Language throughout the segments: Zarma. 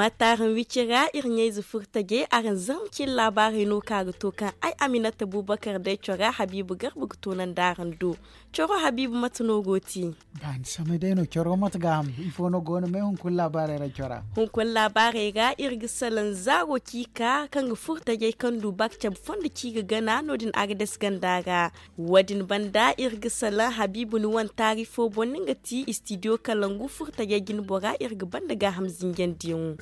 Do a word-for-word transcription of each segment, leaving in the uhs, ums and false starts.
Mate araŋ wicira iri ɲayze furtajey araŋ zarma cine laabaarey no ka ga to kaŋ ay aminata bubakar day cora habiibu garba ga toonandi araŋ do. Coro habiibu mate no go ti? Ba ni samay day no coro mate gaaham ifo no go no me hunkuna laabaarey ra cora. Hunkuna laabaarey ra iri ga salaŋ zaaro ci ka kaŋ ga furtajey kaŋ du ba ga cabe fondo ci ga gana no- din agades ganda ra. Wo- din banda iri ga salaŋ habiibu ni wane taari fo boŋ no nga ti istidiyo kalangu furtajey jine bora iri ga banda gaaham zinjandiyaŋo.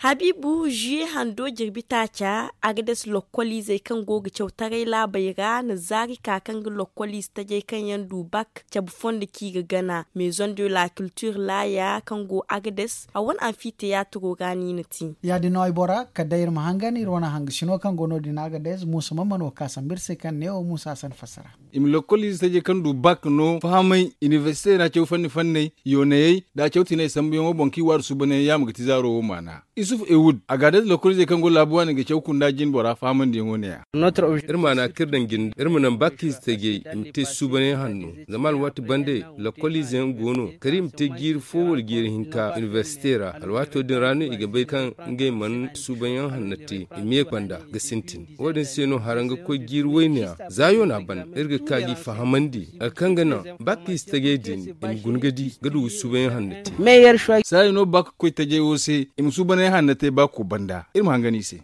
Habiibu zuye hando jirbi taaca, agades lokkoliizey kaŋ go ga caw taray laabey ra na zaari ka kaŋ ga lokkoliize tajey kaŋ yaŋ du bak cabe fondo ci ga gana maison de la culture laaya kaŋ go agades a wane anfiteyaatiro ra no i na ti. Ya- din no ay bora kala day iri ma hangan iri wane hangasino kaŋ go no- din agades muusa ma mana wo ka sambu iri se kaŋ ne wo muusa a san fassara. I ma lokkoliize tajey kaŋ du bak no fahamay inibersite ra caw fanni fanney yoonayey nda a caw tinay sambuyaŋo boŋ kaŋ i waadu suubanyaŋ yaama ga ti zaaro wo maana. Isuf ewud a ga a day lokkoliizey kaŋ go laabu waani ga caw kunda jine bora fahamandiyaŋo ne- ya. Iri maana kaŋ iri daŋ jinde iri ma naŋ bak ize tajey i ma te suubanyaŋ hanno. Zama alwaati bande lokkoliize yaŋ go no kala i ma te jiiri fo wala jiiri hinka inibersite ra alwaato din ra no i ga bay kaŋ ngey mana suubanyaŋ hanno te i ma ye banda ga sintin. Wo- din se no haraŋ ga koy jiiri wayne ra za yoona ban iri ga ka g'i fahamandi hari kaŋ ga naŋ bak ize tajey din i ma guna ga di ga du ga suubanyaŋ hanno te. Saayi no bak ga koy tajey wo se i ma suubanyaŋ hanno te bako banda iri ma hangan i se.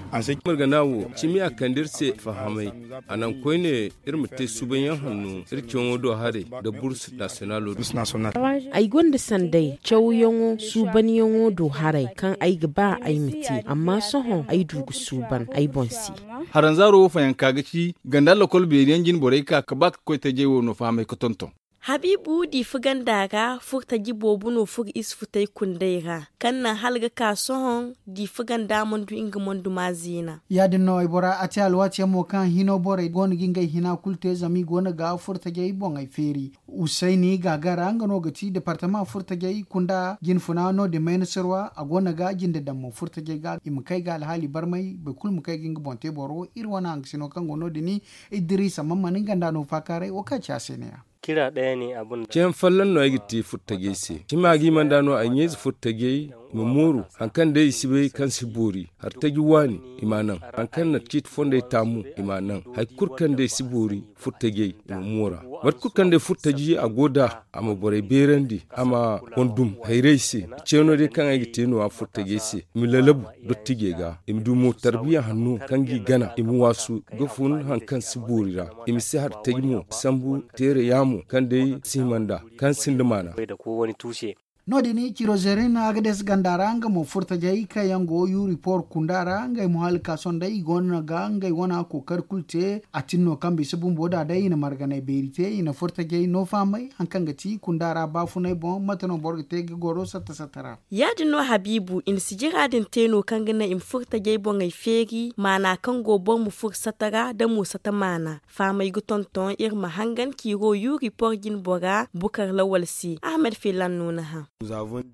Margana wo cimi a kande iri se fahamay a naŋ koyne iri ma te suubanyaŋ hanno iri caŋo do haray nda bursu nasiyonalo din. Ay gonda sanday cawyaŋo suubanyaŋo do haray kaŋ ay ga ba ay ma te amma sohõ ay du ga suuban ay boŋ se. Haranzaaro wo fayanka ga ci ganda lokol beeri yaŋ jine borey ka ga ba ga koy tajey wo no fahamay ga tonton. Habiibu diifa ganda ra furtaji boobo no furo isufu tay kunday ra kaŋ naŋ hala ga ka sohõ diifa ganda mana du nga mana du ma zeena. Ya- din no ay bora a te alwaati yaŋ mo kaŋ hino borey go no ga ngey hina kulu te zama i go no ga furtajey boŋey feeri. Usayni gaagara nga no ga ti departama furtajey kunda jinfuna no- din mayna sirwa a go no ga jinde daŋ mo furtajey ga i ma kay ga alhaali barmay boro kulu ma kay ga nga boŋ te boro iri wane hangasino kaŋ go no- din. Idiriisa man mana nga nda no faakaaray wo kaŋ a ci a se ne- ya. Ceeyaŋ folloŋ no ay ga te furtajey se cima ga i mana da no ay ɲayze furtajey ma mooru hari kaŋ day i si bay kaŋ si boori hari taji waani i m'a naŋ hari kaŋ na ciiti fondey taamu i m'a naŋ hari kulu kaŋ day si boori furtajey i ma moora. Mate kulu kaŋ day furtaji a go nd'a a ma borey beerandi a ma boŋ dum hayrey se. Ceeno day kaŋ ay ga te no- ya furtajey se i ma lalabu dottijey ga i ma du mo tarbiya hanno kaŋ g'i gana i ma waasu ga fun hari kaŋ si boori ra. I ma si hari taji mo sambu teere yaamo kaŋ day si hima nd'a kaŋ sinda maana. No- din ciro zerin agades ganda ra nga mo furtajey kaŋ yaŋ go yuri por kunda ra ngey mo hala ka sohõ day i go no ga ngey wane kookari kulu te. A tin no kaŋ bisa bumbo da day i na marganay beeri te i na furtajey no fahamay hari kaŋ ga ti kunda ra baafunay boŋ mate no boro ga te ga goro satta satta ra. Ya- din no habiibu i na sijira din te no kaŋ ga naŋ i ma furtajey boŋey feeri maana kaŋ go boro ma furo satta ra da mo satta maana. Fahamay ga tonton iri ma hangan ciro yuri por jine bora bukar lawal se ahmed filan no ni hã.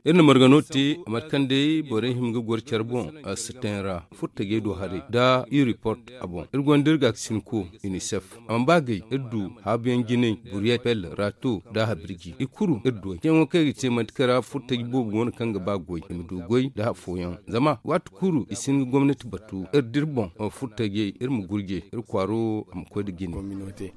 Iri na margano te mate kaŋ day borey hima ga goro care boŋ a si teŋ ra furtajey do haray nda iri report a boŋ iri gonda iri gaakasinko unicef a mana ba gay iri du haabuyaŋ jinay buriyet pel rato nda habirji i kuru iri du ay ceeyaŋo kaŋ i ga te manti kaŋ ra furtaji boobo go no kaŋ ga ba goy i ma du goy nda afooyaŋ zama waati kulu i si hin ga gomnati batu iri da iri boŋ furtajey iri ma gurjey iri kwaaro a ma koy nda jine.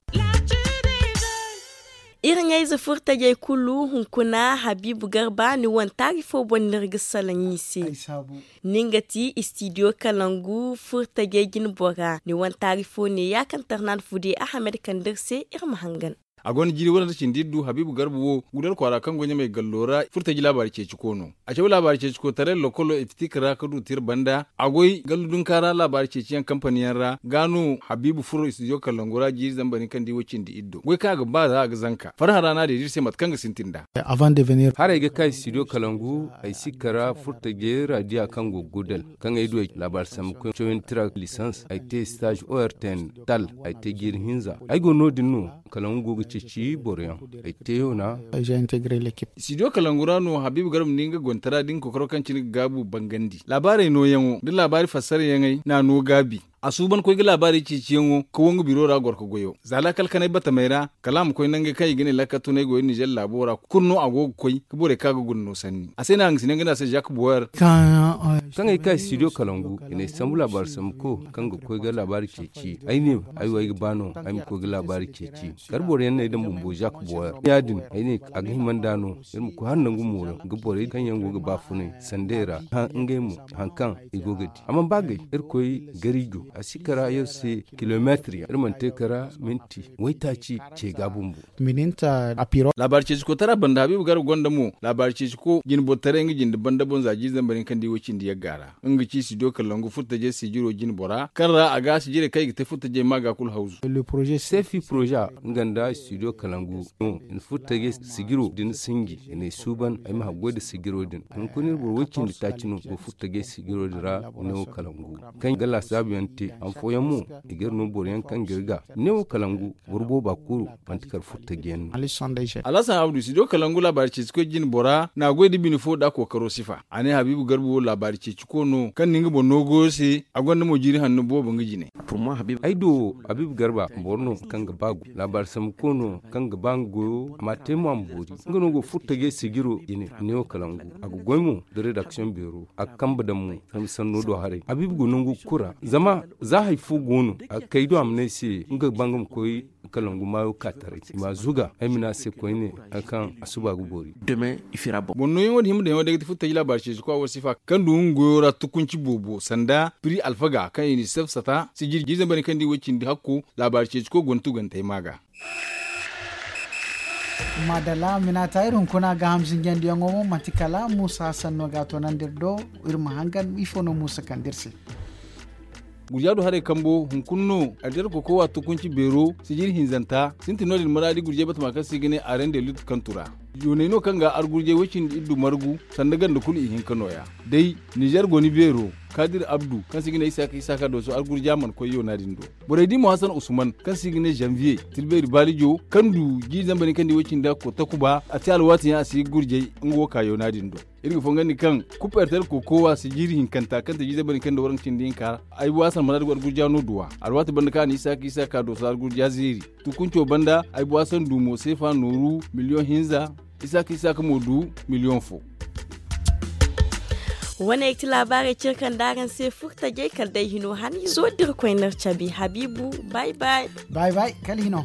Iri ɲayze furtajey kulu hunkuna habiibu garba ni wane taari fo boŋ no iri ga salaŋ i se. Ni nga ti istidiyo kalangu furtajey jine bora ni wane taari fo ne ya kaŋ tarnan fude ahamed kande iri se iri ma hangan. A gonda jiiri wane nda cindi iri du habiibu garba wo gudal kwaara kaŋ go ɲamey gallo ra furtaji laabaari ceeci ko no. A caw laabaari ceeci ko taray lokolo epitik ra ga du tira banda a goy gallu dunka ra laabaari ceeciyaŋ kampaniyaŋ ra ga no habiibu furo istidiyo kalangu ra jiiri zamba din kaŋ di wo cindi iri do goy kaŋ a ga ba za a ga zanka farhã ra no a deeda iri se mate kaŋ ga sintin nd'a. Haray ga ka istidiyo kalangu ay si kara furtajey radiya kaŋ go gudal kaŋ ay du ay laabaari sambu koy cawandi tira lisans ay te stage ortn tal ay te jiiri hinza ay go no- din no. Kalangu go ga ceeci boro yaŋ ay te yoona. Studio kalangu ra no habiibu garba ni nga gontara da nga kokoro kaŋ cine ga gaabu bangandi laabaarey nooyaŋo da laabaari fassarayaŋey n'a no gaabi. a suuban koy ga laabaari ceeciyaŋo ka wo nga biro ra goro ka goyo za laakal kanay batamey ra. Kala a ma koy nangey kaŋ i ga ne laakal tunay goyo nizer laabo ra kulu no a go ga koy ka borey kaŋ a ga guna no sanni a se no a ga si ne nga ne a se zak boyer. Kaŋ ay ka studio kalangu i ne sambu laabaari sambuko kaŋ ga koy ga laabaari ceeci ay ne ay wo ay ga ba no ay ma koy ga laabaari ceeci. Kala boro yaŋ no ay daŋ bumbo zak boyer ya- din ay ne a ga hima nd'a no. Iri ma koy hala nangu mooyaŋ ga borey kaŋ yaŋ go ga baafunay sandey ra hã ngey mo haŋ kaŋ i go ga di a mana ba gay. Irkoy garijo a si kara yer se kilomeetir yaŋ iri mana te kara minti waytaaci ce ga bumbo. Laabaari ceeciko tara banda habiibu garba gonda mo laabaari ceeciko jine bortaray nga jinde banda boŋ za jiiri zambar hinka nda i wo cindi yagga ra nga ga ci studio kalangu furtajey sijiro jine bora kaŋ ra a ga sijirey kaŋ i ga te furtajey ma ga kulu hawzu. Seefi poroze nga nda studio kalangu no i na furtajey sijiro din sinji i na ay suuban ay ma haggoy nda sijiro din. Hunkuna iri boro way cindi taaci no go furtajey sijiro din ra i na wo kalangu kaŋ ga laasaabu yaŋ te han fooyaŋ mo i ga iri no boro yaŋ kaŋ ga iri ga i ne wo kalangu boro booba kulu manti kala furtajiyaŋ no. Alhasan abdu studio kalangu laabaari ceecikoy jine bora na a goy nda bine fo nda kookaro sifa a ne habiibu garba wo laabaari ceeciko no kaŋ na nga boŋ no goyo se a gonda mo jiiri hanno boobo nga jine. Ay do wo habiibu garba boro no kaŋ ga ba gu laabaari sambuko no kaŋ ga ba nga goyo a ma a te mo a ma boori. Nga no go furtajey sijiro jine i ne wo kalangu a ga goy mo nda redaksiyoŋ beero a ga kambe daŋ mo. Sanno do haray habiibu go nangu kulu ra zama za hari fo go no a ga kay do a ma ne ay se nga ga ba nga ma koy kalangu maayo ka taray i ma a zuga ay ma ne a se koyne hari kaŋ a suba ga boori. Boŋ nooyaŋo din hima daŋ yaŋo day ga ti furtaji laabaari ceeciko a war sifa kaŋ du nga goyo ra tukunci boobo sanda piri alfaga kaŋ i na i saf sata sijiri jiiri zambar kaŋ da i way cindi hakko laabaari ceeciko go na tugantey ma ga. Maadalla minata iri hunkuna gaaham zinjandiyaŋo mo manti kala muusa sanno ga a toonandi iri do. Iri ma hangan ifo no muusa kande iri se. Gurja du haray kambo hunkuna no aljar kokowa tukunci beero sijiri hinzanta sintin no- din maraadi gurjey batama kaŋ se i ga ne arende lut kantu ra. Yooney no kaŋ ga argurjey way cindi iri du margu sanda ganda kulu ihinka nooya. Day nizer goni beero kaadir abdu kaŋ se i ga ne isaaka isaaka dooso argurja mana koy yoona din do. Borey di mo hasan usman kaŋ se i ga ne zanviye tilbeeri baalijo kaŋ du jiiri zambar hinka nda i way cindi hakko takuba a te alwaati yaŋ a si ga gurjey nga wo ka yoona din do. Iri ga fongandi kaŋ kuperter kokowa sijiri hinkanta kaŋ te jiiri zambar hinka nda waranka cindi hinka ra ay bo hasan maraadi go argurja no duwa alwaati banda kaŋ a na isaaka isaaka dooso argurja zeeri. Tukunco banda ay bo hasan du mo seefa nooru miliyoŋ hinza. Isaaka isaaka mo du miliyoŋ fo. Wane ga ti laabaarey cire kaŋ da araŋ se furtajey kala day hino haniizo da iri koy n'iri cabe habiibu. Bay bay. Bay bay kala hino.